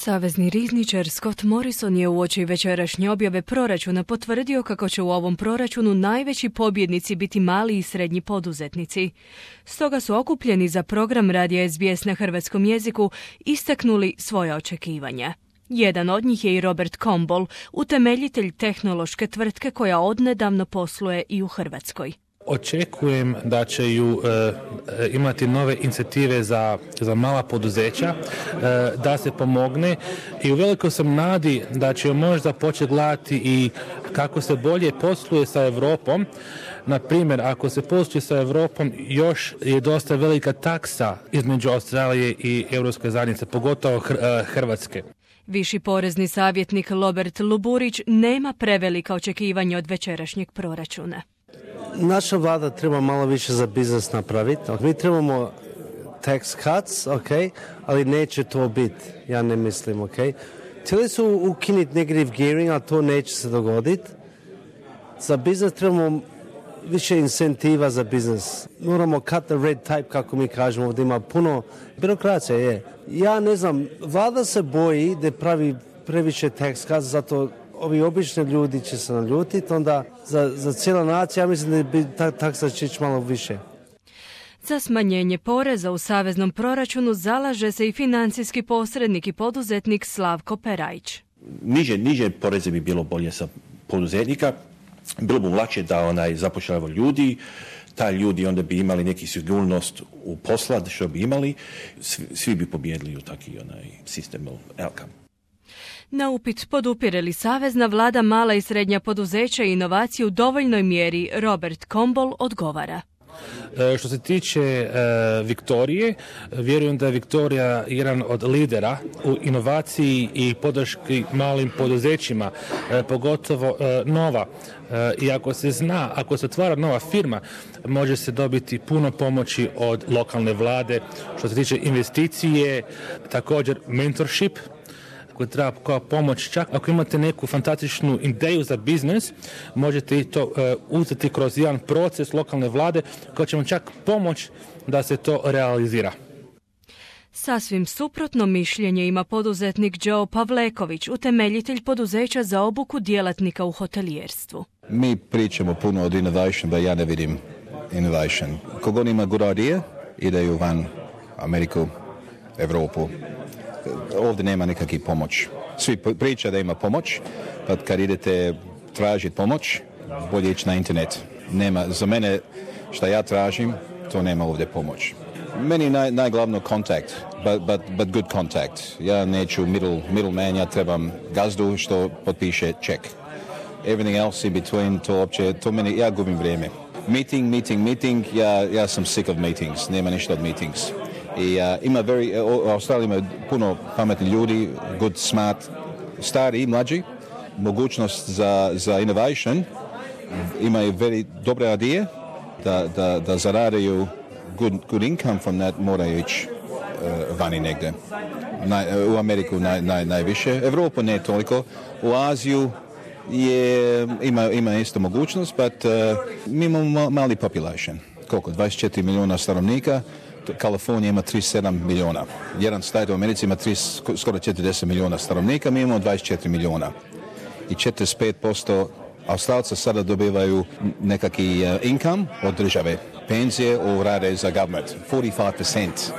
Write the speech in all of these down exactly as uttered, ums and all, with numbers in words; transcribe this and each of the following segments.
Savezni rizničar Scott Morrison je uoči večerašnje objave proračuna potvrdio kako će u ovom proračunu najveći pobjednici biti mali i srednji poduzetnici. Stoga su okupljeni za program radija S B S na hrvatskom jeziku istaknuli svoja očekivanja. Jedan od njih je i Robert Kombol, utemeljitelj tehnološke tvrtke koja odnedavno posluje i u Hrvatskoj. Očekujem da će ju e, imati nove inicijative za, za mala poduzeća, e, da se pomogne i u veliko sam nadi da će možda početi gledati i kako se bolje posluje sa Europom. Na primjer, ako se posluje sa Europom, još je dosta velika taksa između Australije i Europske zajednice, pogotovo Hrvatske. Viši porezni savjetnik Robert Luburić nema prevelika očekivanja od večerašnjeg proračuna. Naša vlada treba malo više za biznis napraviti. Mi trebamo tax cuts, ok, ali neće to biti. Ja ne mislim, ok. Htjeli su ukinuti negative gearing, ali to neće se dogoditi. Za biznis trebamo više incentiva za biznis. Moramo cut the red tape, kako mi kažemo, ovdje ima puno birokracija, je. Ja ne znam, vlada se boji da pravi previše tax cuts, zato ovi obični ljudi će se naljutiti, onda za, za cijela nacija, ja mislim da bi ta taksa će ići malo više. Za smanjenje poreza u saveznom proračunu zalaže se i financijski posrednik i poduzetnik Slavko Perajić. Niže, niže poreze bi bilo bolje za poduzetnika, bilo bi lakše da onaj zapošljava ljudi, taj ljudi onda bi imali neki sigurnost u posla što bi imali, svi, svi bi pobjedili u taki onaj sistem outcome. Na upit podupire li savezna vlada mala i srednja poduzeća i inovaciju u dovoljnoj mjeri, Robert Kombol odgovara. E, što se tiče e, Viktorije, vjerujem da je Viktorija jedan od lidera u inovaciji i podrški malim poduzećima, e, pogotovo e, nova. E, I ako se zna, ako se otvara nova firma, može se dobiti puno pomoći od lokalne vlade. Što se tiče investicije, također mentorship, koji treba kao pomoć, čak ako imate neku fantastičnu ideju za biznis, možete i to uh, uzeti kroz jedan proces lokalne vlade koji će vam čak pomoć da se to realizira. Sasvim suprotno mišljenje ima poduzetnik Joe Pavleković, utemeljitelj poduzeća za obuku djelatnika u hotelijerstvu. Mi pričamo puno od innovation, da ja ne vidim innovation. Kogod ima good idea, ideju van Ameriku, Evropu. Ovdje nema nikakvih pomoć. Svi priča da ima pomoć, pa kad idete tražiti pomoć, bolje ići na internet. Nema, za mene što ja tražim, to nema ovdje pomoć. Meni naj, najglavno kontakt, but, but, but good contact. Ja neću middle, middleman, ja trebam gazdu što potpiše ček. Everything else in between, to opće, to meni, ja gubim vrijeme. Meeting, meeting, meeting, ja, ja sam sick of meetings, nema ništa od meetings. I uh, ima very, u Australiji ima puno pametnih ljudi, good, smart, stari i mlađi, mogućnost za, za innovation, imaju very dobre ideje, da, da, da zaradaju good, good income from that, moraju ići uh, vani negdje. Na, u Ameriku naj, naj, najviše, Evropu ne toliko, u Aziju je, ima, ima isto mogućnost, but uh, mi imamo mali population, koliko, dvadeset četiri milijuna stanovnika, Kalifornija ima trideset sedam milijuna. Jedan stat u Americi ima trideset, skoro četrdeset milijuna stanovnika, mi imamo dvadeset četiri milijuna. I četrdeset pet posto Australca sada dobivaju nekakvi uh, income od države. Penzije u rade za government. četrdeset pet posto.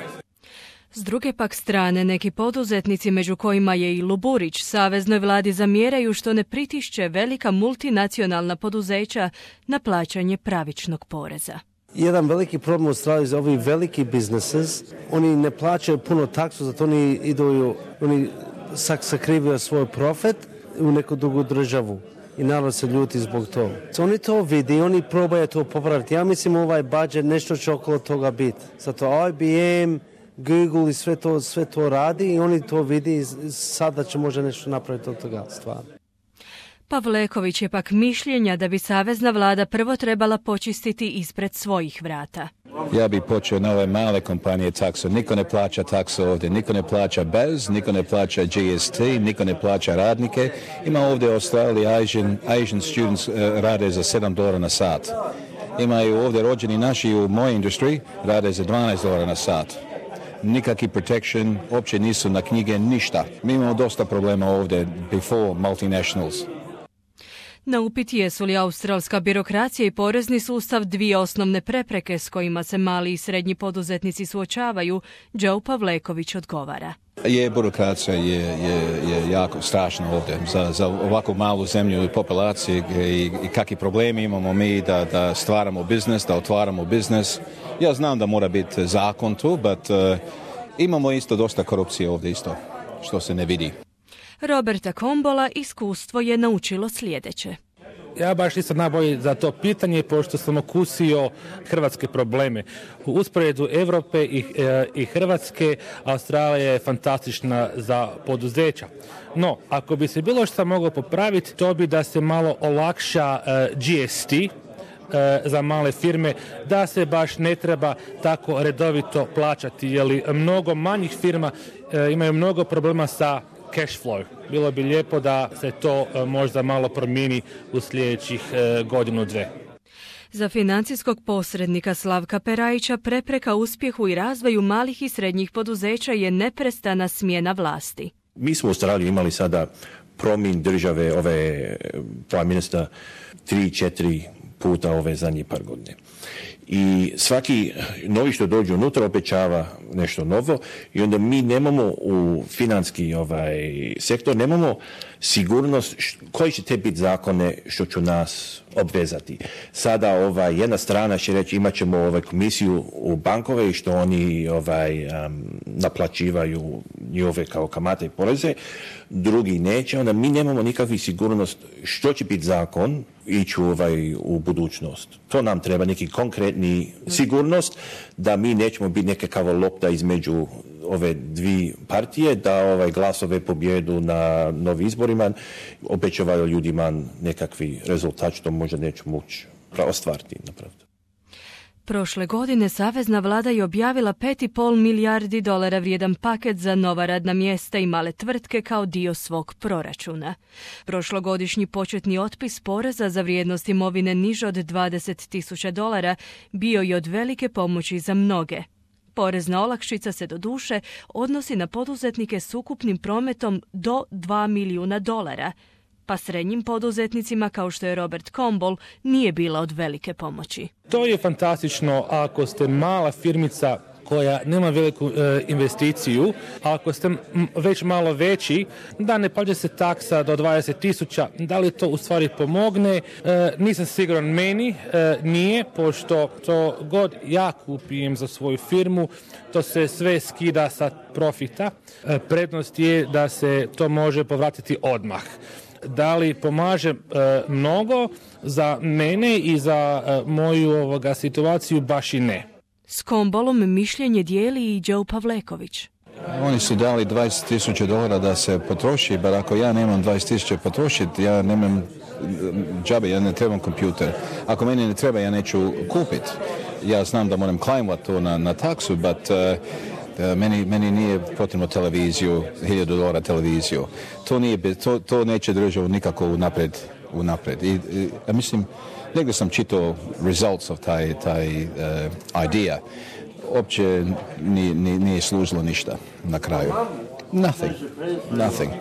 S druge pak strane, neki poduzetnici, među kojima je i Luburić, saveznoj vladi zamjeraju što ne pritišće velika multinacionalna poduzeća na plaćanje pravičnog poreza. Jedan veliki problem u Australiji za ovi veliki businesses, oni ne plaćaju puno taksu, zato oni idu, oni sakrivaju svoj profit u neku drugu državu i narod se ljuti zbog toga. So, oni to vidi i oni probaju to popraviti. Ja mislim ovaj budžet nešto će okolo toga biti. Zato I B M, Google i sve to, sve to radi i oni to vidi i sada će možda nešto napraviti od toga stvarno. Pavleković je pak mišljenja da bi savezna vlada prvo trebala počistiti ispred svojih vrata. Ja bih počeo na ove male kompanije taksu. Niko ne plaća taksu ovdje, niko ne plaća bez, niko ne plaća G S T, niko ne plaća radnike. Ima ovdje u Australiji Asian, Asian students uh, rade za sedam dolara na sat. Imaju ovdje rođeni naši u mojoj industriji rade za dvanaest dolara na sat. nikakvi protection, uopće nisu na knjige, ništa. Mi imamo dosta problema ovdje before multinationals. Na upit jesu li australska birokracija i porezni sustav dvije osnovne prepreke s kojima se mali i srednji poduzetnici suočavaju, Joe Pavleković odgovara. Je, birokracija je, je, je jako strašna ovdje za, za ovakvu malu zemlju i populaciju i, i kakvi problemi imamo mi da, da stvaramo biznes, da otvaramo biznes. Ja znam da mora biti zakon tu, but uh, imamo isto dosta korupcije ovdje isto, što se ne vidi. Roberta Combola iskustvo je naučilo sljedeće. Ja baš nisam najbolji za to pitanje, pošto sam okusio hrvatske probleme. U usporedu Europe i, e, i Hrvatske, Australija je fantastična za poduzeća. No, ako bi se bilo što moglo popraviti, to bi da se malo olakša e, G S T, za male firme, da se baš ne treba tako redovito plaćati, jer mnogo manjih firma e, imaju mnogo problema sa cash flow. Bilo bi lijepo da se to e, možda malo promijeni u sljedećih e, godinu, dve. Za financijskog posrednika Slavka Perajića prepreka uspjehu i razvoju malih i srednjih poduzeća je neprestana smjena vlasti. Mi smo u Australiji imali sada promjen države, ove prime minister, tri, četiri puta ove zadnje par godine. I svaki novi što dođe unutra obećava nešto novo i onda mi nemamo u financijski ovaj, sektor, nemamo sigurnost š, koji će te biti zakone što će nas obvezati. Sada ovaj, jedna strana će reći imat ćemo ovaj, komisiju u bankove i što oni ovaj, um, naplaćivaju njihove kao kamate i poreze, drugi neće, onda mi nemamo nikakvu sigurnost što će biti zakon ići ovaj, u budućnost. To nam treba neki konkretni sigurnost da mi nećemo biti nekakva lopta između ove dvije partije, da ovaj glasove pobjedu na novi izborima, obećavaju ljudima nekakvi rezultat što možda neću moći ostvariti napraviti. Prošle godine savezna vlada je objavila pet i pol milijardi dolara vrijedan paket za nova radna mjesta i male tvrtke kao dio svog proračuna. Prošlogodišnji početni otpis poreza za vrijednost imovine niže od dvadeset tisuća dolara bio je od velike pomoći za mnoge. Porezna olakšica se doduše odnosi na poduzetnike s ukupnim prometom do dva milijuna dolara, pa srednjim poduzetnicima kao što je Robert Comball nije bila od velike pomoći. To je fantastično ako ste mala firmica koja nema veliku e, investiciju, a ako ste m, već malo veći, da ne plaća se taksa do dvadeset tisuća, da li to u stvari pomogne? E, nisam siguran, meni e, nije, pošto to god ja kupim za svoju firmu, to se sve skida sa profita. E, prednost je da se to može povratiti odmah. Da li pomaže e, mnogo za mene i za e, moju ovoga situaciju, baš i ne. S Combolom mišljenje dijeli i Joe Pavleković. Oni su dali dvadeset tisuća dolara da se potroši, bar ako ja nemam dvadeset tisuća potrošiti, ja nemam džabe, ja ne trebam kompjuter. Ako meni ne treba, ja neću kupiti. Ja znam da moram klajmati to na, na taksu, but uh, uh, meni, meni nije potrebno televiziju, hiljadu dolara televiziju. To, nije, to, to neće držati nikako unapred. unapred. I, i, ja mislim, negdje sam čitao results of taj, taj uh, idea. Uopće nije, nije, nije služilo ništa na kraju. Nothing. Nothing.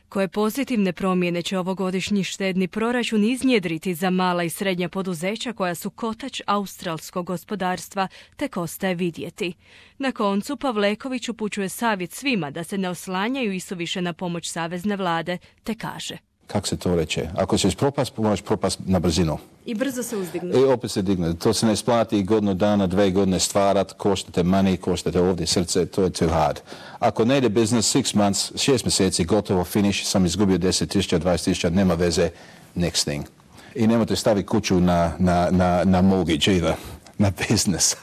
Koje pozitivne promjene će ovogodišnji štedni proračun iznjedriti za mala i srednja poduzeća koja su kotač australskog gospodarstva, tek ostaje vidjeti. Na koncu Pavleković upućuje savjet svima da se ne oslanjaju isuviše na pomoć savezne vlade, te kaže. Kako se to reče? Ako ćeš propast, moraš propast na brzinu. I brzo se uzdigne. I opet se digne. To se ne isplati godinu dana, dve godine stvarat, koštate money, koštate ovdje srce, to je too hard. Ako ne ide business, six months, šest mjeseci, gotovo, finish, sam izgubio deset tisuća, dvadeset tisuća, nema veze, next thing. I nemojte staviti kuću na, na, na, na mortgage either, na business.